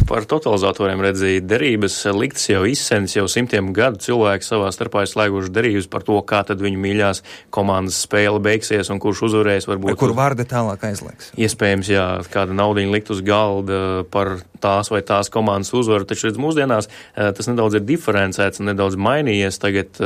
Par totalizatoriem redzēja derības liktas jau izsenis, jau simtiem gadu cilvēki savā starpā ir slēguši derības par to, kā tad viņu mīļās komandas spēle beigsies un kurš uzvarēs. Varbūt kur vārdi tālāk aizlieks. Iespējams, jā, kāda naudiņa likt uz galda par tās vai tās komandas uzvaru, taču redz mūsdienās tas nedaudz ir diferencēts un nedaudz mainījies. Tagad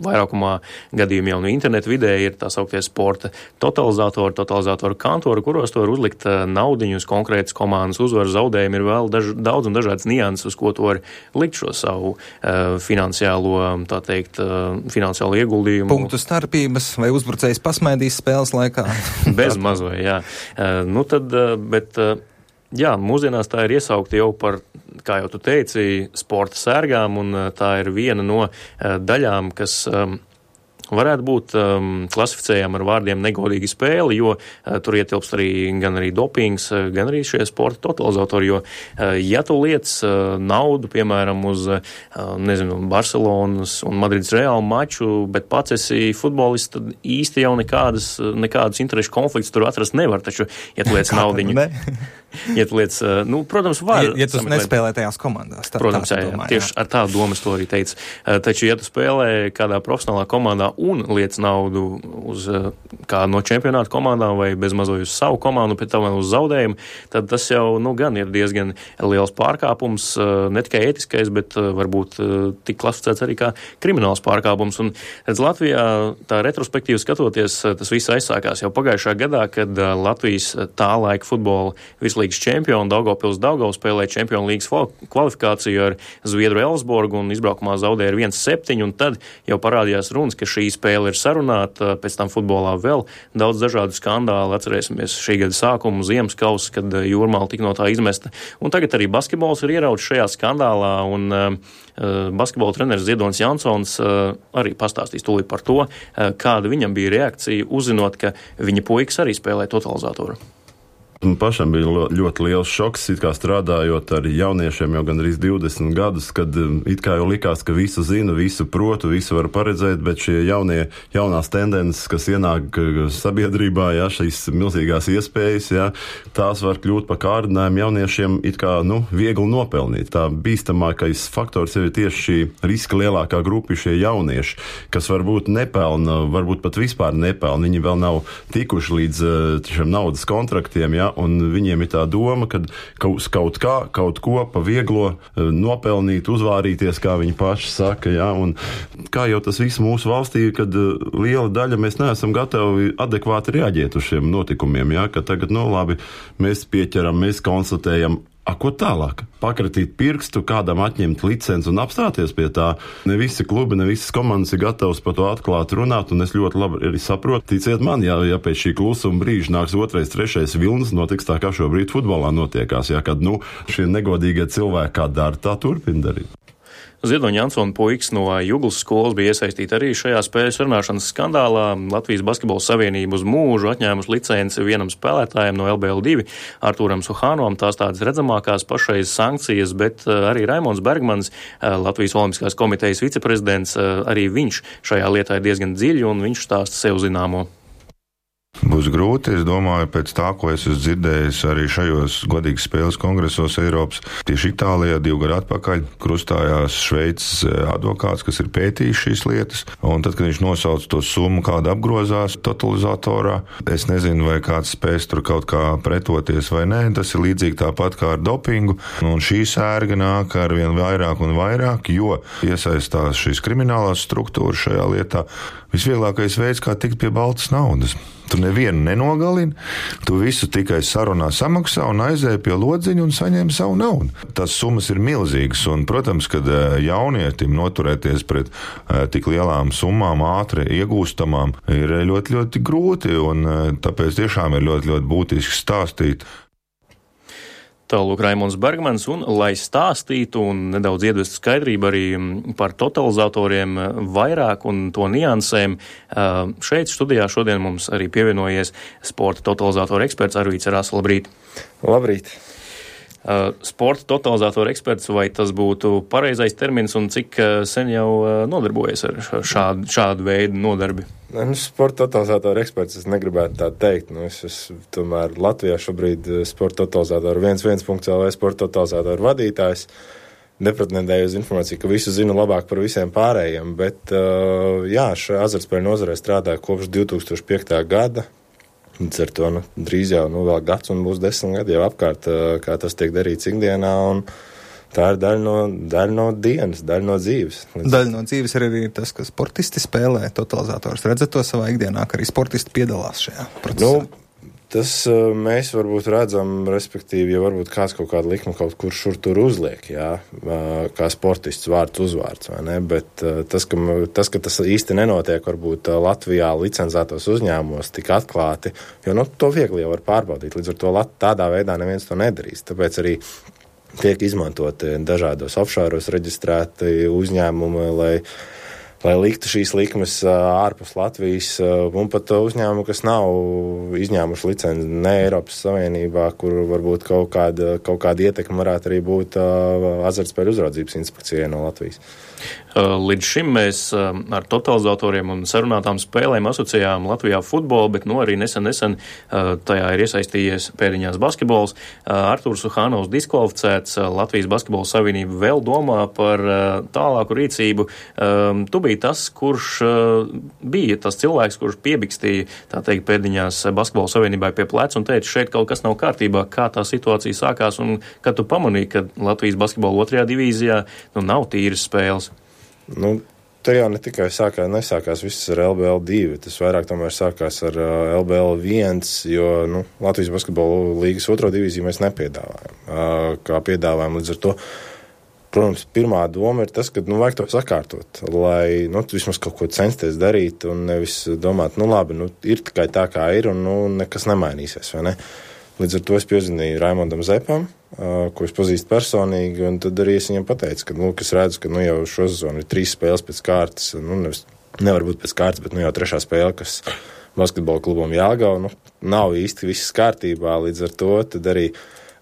vairākumā gadījumi jau no internetu vidē ir tā sauktie sporta totalizatoru kantori, kuros to var uzlikt naudiņu uz konkrētas komandas uzvaru. Zaudējumi ir vēl daudz un dažādas nianses, uz ko to var likt šo savu finansiālo, tā teikt, finansiālo ieguldījumu. Punktu starpības vai uzbrucējs pasmaidīs spēles laikā? Bez mazvai, jā. Jā, mūsdienās tā ir iesaukta jau par, kā jau tu teici, sporta sērgām, un tā ir viena no daļām, kas varētu būt klasificējama ar vārdiem negodīga spēle, jo tur ietilpst gan arī dopings, gan arī šie sporta totalizatori, jo ja tu liec naudu, piemēram, uz, Barcelonas un Madrides Reāla maču, bet pats esi futbolists, tad īsti jau nekādus interešu konfliktus tur atrast nevar, taču, ja tu liec naudiņu. Ja tu liec, protams, var. Ja tu nespēlē tajās komandās. Protams, tieši ar tādu domu es to arī teicu. Taču, ja tu spēlē kādā profesionālā komandā un liec naudu uz kādu no čempionāta komandām vai bezmazliet uz savu komandu, pēc tam uz zaudējumu, tad tas jau, gan ir diezgan liels pārkāpums, ne tikai ētiskais, bet varbūt tik klasificēts arī kā krimināls pārkāpums. Un, redz, Latvijā tā retrospektīvi skatoties, tas viss aizsākās jau pagājušā gadā, kad Latvijas tā laika futbola virslīgas čempionu Daugavpils spēlēja Čempionu līgas kvalifikāciju ar Zviedru Elsborgu un izbraukumā zaudēja ar 1-7, un tad jau parādījās runas, ka šī spēle ir sarunāta, pēc tam futbolā vēl daudz dažādu skandālu, atcerēsimies šī gada sākumu, Ziemas kausa, kad Jūrmāla tika no tā izmesta, un tagad arī basketbols ir ierauts šajā skandālā, un basketbola treneris Ziedonis Jansons arī pastāstīs tūlīt par to, kāda viņam bija reakcija, uzzinot, ka viņa puikas arī spēlē totalizatoru. Pašam bija ļoti liels šoks, it kā strādājot ar jauniešiem jau gandrīz 20 gadus, kad it kā jau likās, ka visu zinu, visu protu, visu var paredzēt, bet šie jaunās tendences, kas ienāk sabiedrībā, šīs milzīgās iespējas, tās var kļūt par kārdinājumu jauniešiem it kā, viegli nopelnīt. Tā bīstamākais faktors ir tieši šī riska lielākā grupa, šie jaunieši, kas varbūt nepelna, varbūt pat vispār nepelna, viņi vēl nav tikuši līdz šiem naudas kontraktiem, un viņiem ir tā doma, ka kaut ko pa vieglo nopelnīt, uzvārīties, kā viņi paši saka, un kā jau tas viss mūsu valstī, kad liela daļa mēs neesam gatavi adekvāti reaģēt uz šiem notikumiem, ka tagad, labi, mēs pieķeram, mēs konstatējam, ko tālāk? Pakratīt pirkstu, kādam atņemt licenci un apstāties pie tā. Ne visi klubi, ne visas komandas ir gatavs par to atklāt runāt, un es ļoti labi arī saprotu. Ticiet man, ja pēc šī klusuma brīža nāks 2., 3. vilnis, notiks tā, kā šobrīd futbolā notiekās, kad, šie negodīgie cilvēki kā dara, tā turpina darīt. Ziedoņa Jansona puikas no Juglas skolas bija iesaistīti arī šajā spēles runāšanas skandālā. Latvijas basketbola savienība uz mūžu atņēmusi licenci vienam spēlētājam no LBL2, Artūram Suhānovam, tās tādas redzamākās pašreiz sankcijas, bet arī Raimonds Bergmans, Latvijas Olimpiskās komitejas viceprezidents, arī viņš šajā lietā ir diezgan dziļi un viņš stāsta sev zināmo. Būs grūti, es domāju, pēc tā, ko es esmu dzirdējis arī šajos godīgas spēles kongresos Eiropas. Tieši Itālijā 2 gadu atpakaļ krustājās Šveices advokāts, kas ir pētījis šīs lietas, un tad, kad viņš nosauca to summu, kāda apgrozās totalizatorā, es nezinu, vai kāds spēs tur kaut kā pretoties vai nē, tas ir līdzīgi tāpat kā ar dopingu, un šī sērga nāk ar vien vairāk un vairāk, jo iesaistās šīs kriminālās struktūras šajā lietā. Visvieglākais veids, kā tikt pie baltas naudas. Tu nevienu nenogalini, tu visu tikai sarunā samaksā un aizēji pie lodziņa un saņem savu naudu. Tas summas ir milzīgas, un, protams, kad jaunietim noturēties pret tik lielām summām, ātri iegūstamām, ir ļoti, ļoti grūti, un tāpēc tiešām ir ļoti, ļoti būtiski stāstīt. Tālūk Raimonds Bergmans, un lai stāstītu un nedaudz ievestu skaidrību arī par totalizatoriem vairāk un to niansēm, šeit studijā šodien mums arī pievienojies sporta totalizatoru eksperts Arvīts Rās. Labrīt! Labrīt! Sporta totalizatoru eksperts, vai tas būtu pareizais termins un cik sen jau nodarbojas ar šādu veidu nodarbi? Sporta totalizatoru eksperts es negribētu tā teikt. Es tomēr Latvijā šobrīd sporta totalizatoru 1.1.lv sporta totalizatoru vadītājs. Nepretendēju uz informāciju, ka visu zinu labāk par visiem pārējiem, bet šajā azartspēļu nozarē strādāju kopš 2005. gada. Līdz ar to drīz jau vēl gads un būs 10 gadi jau apkārt, kā tas tiek darīts ikdienā, un tā ir daļa no dienas, daļa no dzīves. Daļa no dzīves ir arī tas, ka sportisti spēlē totalizators. Redzat to savā ikdienā, ka arī sportisti piedalās šajā procesā? Tas mēs varbūt redzam, respektīvi, ja varbūt kāds kaut kādu likmu kaut kur šur tur uzliek, kā sportists vārds uzvārds, vai ne? Bet tas, ka tas īsti nenotiek varbūt Latvijā licencētos uzņēmumos tik atklāti, jo to viegli jau var pārbaudīt, līdz ar to tādā veidā neviens to nedarīs. Tāpēc arī tiek izmantoti dažādos offshore reģistrēti uzņēmumi, lai liktu šīs likmes ārpus Latvijas, un pat uzņēmumu, kas nav izņēmuši licenci ne Eiropas Savienībā, kur varbūt kaut kāda ietekme varētu arī būt azartspēļu uzraudzības inspekcijai no Latvijas. Līdz šim mēs ar totalizatoriem un sarunātām spēlēm asociējām Latvijā futbolu, bet arī nesen tajā ir iesaistījies pēdiņās basketbols. Artūrs Uhānovs diskvalificēts, Latvijas basketbola savienība vēl domā par tālāku rīcību. Tu biji tas, kurš bija tas cilvēks, kurš piebikstīja, tā teikt, pēdiņās basketbola savienībai pie pleca un teica, šeit kaut kas nav kārtībā, kā tā situācija sākās, un kad tu pamanīji, ka Latvijas basketbola 2. divīzijā nav tīras spēles. Te jau ne tikai nesākās viss ar LBL 2, tas vairāk tomēr sākās ar LBL 1, jo Latvijas basketbola līgas 2. divīziju mēs nepiedāvājam. Kā piedāvājam līdz ar to, protams, pirmā doma ir tas, ka vajag to sakārtot, lai vismaz kaut ko censties darīt un nevis domāt, labi, ir tikai tā, kā ir un nekas nemainīsies, vai ne? Līdz ar to es piezinīju Raimondam Zepam, ko es pazīstu personīgi, un tad arī es viņam pateicu, ka, es redzu, ka jau šo sezonu ir 3 spēles pēc kārtas, nevar būt pēc kārtas, bet jau 3. spēle, kas basketbola klubam Jelgava, nav īsti viss kārtībā, līdz ar to tad arī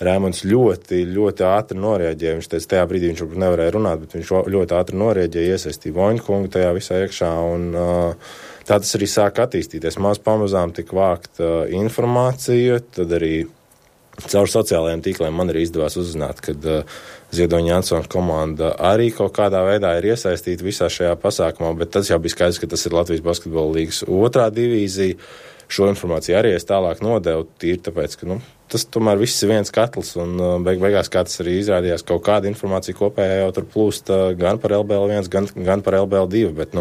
Raimonds ļoti, ļoti ātri norēģēja. Viņš teica, tajā brīdī viņš varbūt nevarēja runāt, bet viņš ļoti ātri norēģēja, iesaistīja Voņkungu tajā visā iekšā, un tā tas arī sāka attīstīties. Pamazām tika vākta informācija, tad arī caur sociālajiem tīkliem man arī izdevās uzzināt, kad Ziedoņa Jansona komanda arī kaut kādā veidā ir iesaistīta visā šajā pasākumā, bet tas jau bija skaidrs, ka tas ir Latvijas basketbola līgas 2. divīzija. Šo informāciju arī es tālāk nodevu tīri, tāpēc, ka tas tomēr viss ir viens katls, un beigās, kā tas arī izrādījās, kaut kāda informācija kopējā jau tur plūst gan par LBL 1, gan par LBL 2, bet,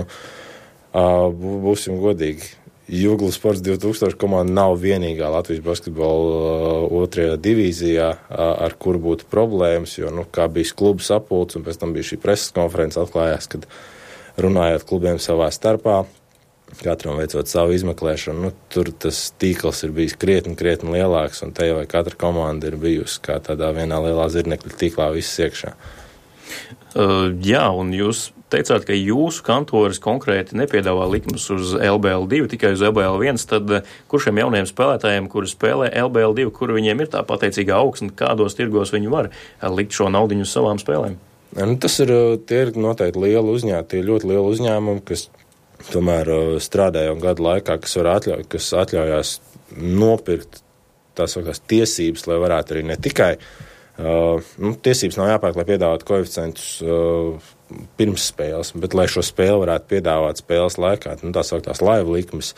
būsim godīgi. Jugla Sports 2000 komanda nav vienīgā Latvijas basketbola 2. divīzijā, ar kuru būtu problēmas, jo, kā bija klubu sapulcs, un pēc tam bija šī preses konferences, atklājās, kad runājot klubiem savā starpā, katram veicot savu izmeklēšanu, tur tas tīkls ir bijis krietni lielāks, un te jau katra komanda ir bijusi kā tādā vienā lielā zirnekļa tīklā viss iekšā. Jā, un jūs teicāt, ka jūsu kantoris konkrēti nepiedāvā likmes uz LBL 2, tikai uz LBL 1, tad kur šiem jaunajiem spēlētājiem, kuri spēlē LBL 2, kur viņiem ir tā pateicīgā augsne, kādos tirgos viņi var likt šo naudiņu uz savām spēlēm? Tie ir noteikti ļoti lieli uzņēmumi, kas tomēr strādāja gadu laikā, kas atļaujās nopirkt tās tiesības, lai varētu arī ne tikai tiesības nav jāpērk, lai piedāvātu koeficientus pirms spēles, bet lai šo spēli varētu piedāvāt spēles laikā, tā sauktās live likmes,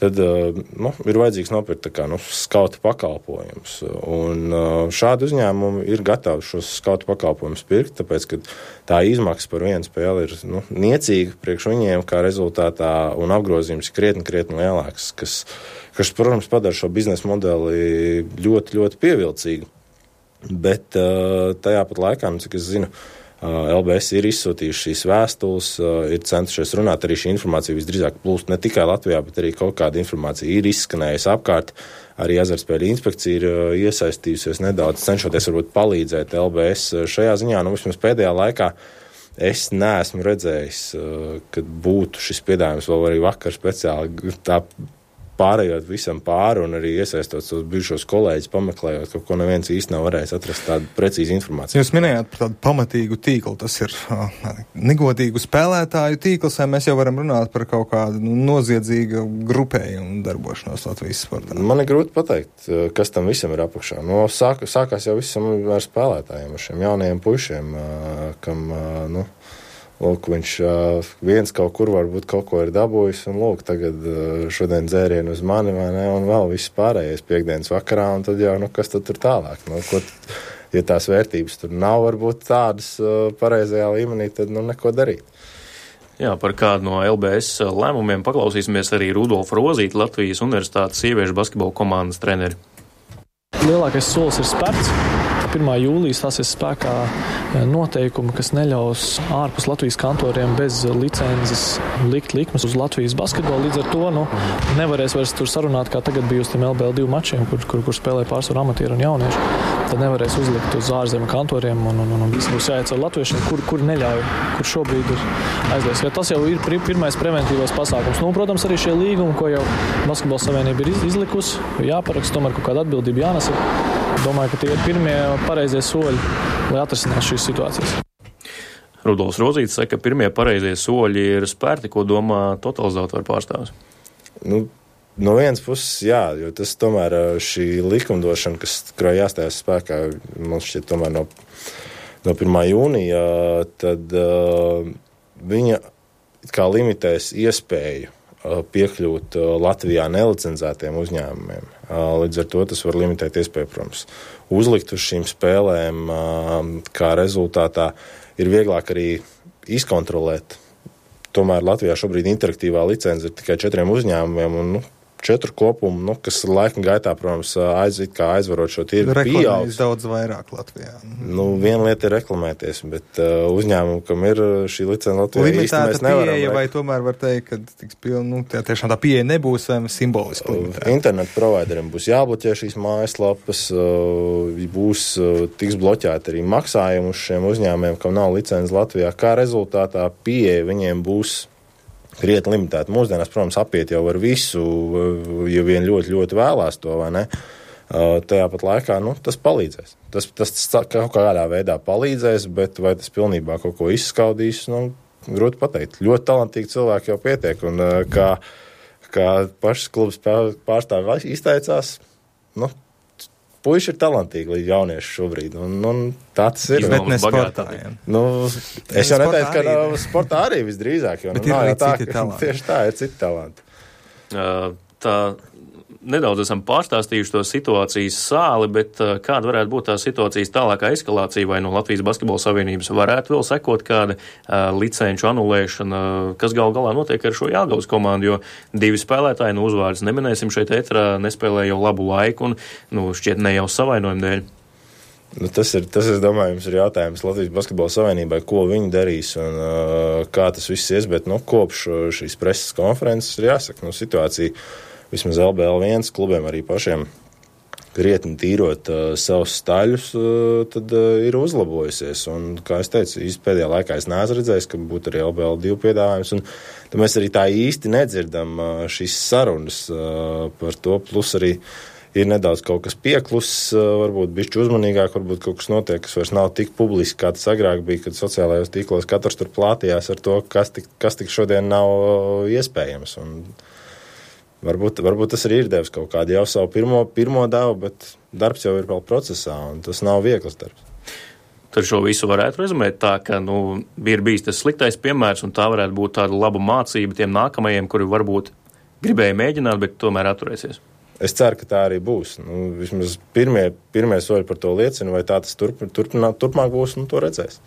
tad ir vajadzīgs nopirkt skauta pakalpojumus. Un šādi uzņēmumi ir gatavi šos skauta pakalpojumus pirkt, tāpēc, ka tā izmaksa par vienu spēli ir niecīga priekš viņiem, kā rezultātā, un apgrozījums ir krietni lielāks, kas, protams, padara šo biznesa modeli ļoti, ļoti pievilcīgu. Bet tajā pat laikā, cik es zinu, LBS ir izsūtījuši šīs vēstules, ir centušies runāt, arī šī informācija visdrīzāk plūst ne tikai Latvijā, bet arī kaut kāda informācija ir izskanējusi apkārt. Arī azartspēļu inspekcija ir iesaistījusies nedaudz, cenšoties varbūt palīdzēt LBS šajā ziņā. Vismaz pēdējā laikā es neesmu redzējis, kad būtu šis piedāvājums vēl arī vakar speciāli tā pārējot visam pāri un arī iesaistot tos bijušos kolēģis, pameklējot, kaut ko neviens īsti nav varējis atrast tādu precīzu informāciju. Jūs minējāt par tādu pamatīgu tīklu, tas ir negodīgu spēlētāju tīkls, vai mēs jau varam runāt par kaut kādu noziedzīgu grupējumu darbošanos Latvijas sportā? Man ir grūti pateikt, kas tam visam ir apakšā. Sākās jau visam ar spēlētājiem, ar šiem jaunajiem pušiem, kam, lūk, viņš viens kaut kur varbūt kaut ko ir dabūjis, un lūk, tagad šodien dzērienu uz mani, vai ne, un vēl viss pārējais piekdienas vakarā, un tad jau, kas tad tur tālāk? Ja tās vērtības tur nav varbūt tādas pareizajā līmenī, tad, neko darīt. Jā, par kādu no LBS lēmumiem paklausīsimies arī Rudolfu Rozīti, Latvijas Universitātes sieviešu basketbola komandas treneri. Lielākais solis ir spērts. 1. jūlijā stāsies spēkā noteikumi, kas neļaus ārpus Latvijas kantoriem bez licences likt likmes uz Latvijas basketbolu. Līdz ar to nevarēs vairs tur sarunāt, kā tagad bija uz tiem LBL2 mačiem, kur spēlē pārsvaru amatieri un jaunieši. Tad nevarēs uzlikt uz ārzemju kantoriem un viss būs jāiet ar latviešiem, kur neļauj, kur šobrīd ir aizliegts. Tas jau ir pirmais preventīvais pasākums. Protams, arī šie līgumi, ko jau Basketbola savienība ir izlikusi, jāparaksta, tomēr kaut kāda atbildība jānesa. Domāju, ka tie ir pirmie pareizie soļi, lai atrisinātu šīs situācijas. Rudolfs Rozītis saka, ka pirmie pareizie soļi ir spērti, ko domā totalizatoru pārstāvis. No vienas puses, jā, jo tas tomēr šī likumdošana, kurā jāstājas spēkā, man šķiet tomēr no 1. jūnija, tad viņa kā limitēs iespēju piekļūt Latvijā nelicenzētiem uzņēmumiem. Līdz ar to tas var limitēt iespēju, protams, uzlikt uz šīm spēlēm, kā rezultātā ir vieglāk arī izkontrolēt. Tomēr Latvijā šobrīd interaktīvā licence ir tikai 4 uzņēmumiem un 4 kopumu, kas laika gaitā, protams, aizvarot šo tirgu pieaugs. Daudz vairāk Latvijā. Viena lieta ir reklamēties, bet uzņēmumu, kam ir šī licence Latvijā, īsti mēs nevaram. Pieeja, vai tomēr var teikt, ka tiešām tā pieeja nebūs vai simboliski limitēta? Internetu provideriem būs jābloķē šīs mājaslapas, tiks bloķēti arī maksājumi uz šiem uzņēmumiem, kam nav licence Latvijā. Kā rezultātā pieeja viņiem būs krietni limitēta. Mūsdienās, protams, apiet jau ar visu, ja vien ļoti, ļoti vēlās to, vai ne? Tajā pat laikā, tas palīdzēs. Tas kaut kādā veidā palīdzēs, bet vai tas pilnībā kaut ko izskaudīs, grūti pateikt. Ļoti talantīgi cilvēki jau pietiek, un kā pašas klubas pārstāvi izteicās, puiši ir talantīgi līdz jaunieši šobrīd, un tā tas ir. Bet ne sportājiem. Es jau neteicu, ka sportā arī visdrīzāk, jo bet ir arī citi talanti. Tieši tā, ir citi talanti. Tā nedaudz esam pārstāstījuši to situācijas sāli, bet kāda varētu būt tā situācijas tālākā eskalācija, vai no Latvijas Basketbola Savienības varētu vēl sekot kāda licenču anulēšana, kas gal galā notiek ar šo Jelgavas komandu, jo 2 spēlētāji, uzvārds neminēsim šeit ētrā, nespēlē jau labu laiku un, šķiet ne jau savainojumu dēļ. Tas ir, es domāju, jums ir jautājums Latvijas Basketbola Savienībai, ko viņi darīs un kā tas viss ies, bet, kopš šīs preses konferences ir jāsaka, situācija vismaz LBL1 klubiem arī pašiem krietni tīrot savus staļus, tad ir uzlabojusies. Un, kā es teicu, pēdējā laikā es neesmu redzējis, ka būtu arī LBL2 piedāvājums. Un tad mēs arī tā īsti nedzirdam šīs sarunas par to. Plus arī ir nedaudz kaut kas piekluss, varbūt bišķi uzmanīgāk, varbūt kaut kas notiek, kas vairs nav tik publiski, kā tas agrāk bija, kad sociālajos tīklos katrs tur plātījās ar to, kas tik šodien nav iespējams. Un Varbūt tas arī ir devis kaut kādu jau savu pirmo devu, bet darbs jau ir vēl procesā, un tas nav viegls darbs. Tad šo visu varētu rezumēt tā, ka ir bijis tas sliktais piemērs, un tā varētu būt tāda laba mācība tiem nākamajiem, kuri varbūt gribēja mēģināt, bet tomēr atturēsies. Es ceru, ka tā arī būs. Vismaz pirmie soļi par to liecina, vai tā tas turpmāk būs, to redzēs.